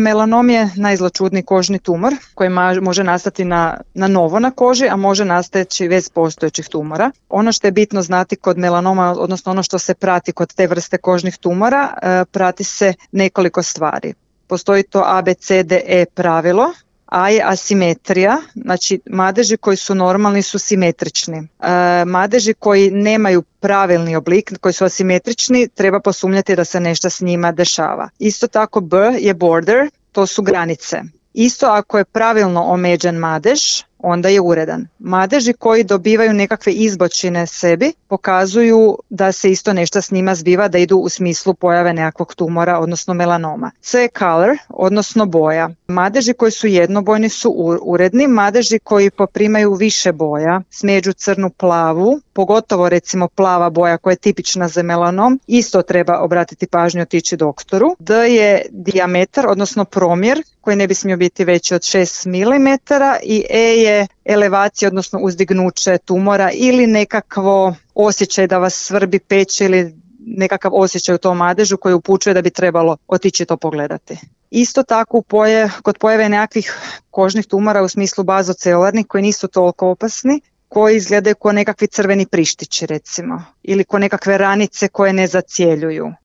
Melanom je najzločudniji kožni tumor koji može nastati na novo na koži, a može nastajati bez postojećih tumora. Ono što je bitno znati kod melanoma, odnosno ono što se prati kod te vrste kožnih tumora, prati se nekoliko stvari. Postoji to ABCDE pravilo. A je asimetrija, znači madeži koji su normalni su simetrični. Madeži koji nemaju pravilni oblik, koji su asimetrični, treba posumnjati da se nešto s njima dešava. Isto tako B je border, to su granice. Isto ako je pravilno omeđen madež, onda je uredan. Madeži koji dobivaju nekakve izbočine sebi pokazuju da se isto nešto s njima zbiva, da idu u smislu pojave nekakvog tumora, odnosno melanoma. C je color, odnosno boja. Madeži koji su jednobojni su uredni, madeži koji poprimaju više boja, smeđu crnu, plavu, pogotovo recimo plava boja koja je tipična za melanom, isto treba obratiti pažnju, otići doktoru. D je dijametar, odnosno promjer, koji ne bi smio biti veći od 6 mm i E je elevacija, odnosno uzdignuće tumora ili nekakvo osjećaj da vas svrbi, peče ili nekakav osjećaj u tom madežu koji upućuje da bi trebalo otići to pogledati. Isto tako kod pojave nekakvih kožnih tumora u smislu bazocelularnih koji nisu toliko opasni, koji izgledaju kao nekakvi crveni prištići recimo ili kao nekakve ranice koje ne zacjeljuju.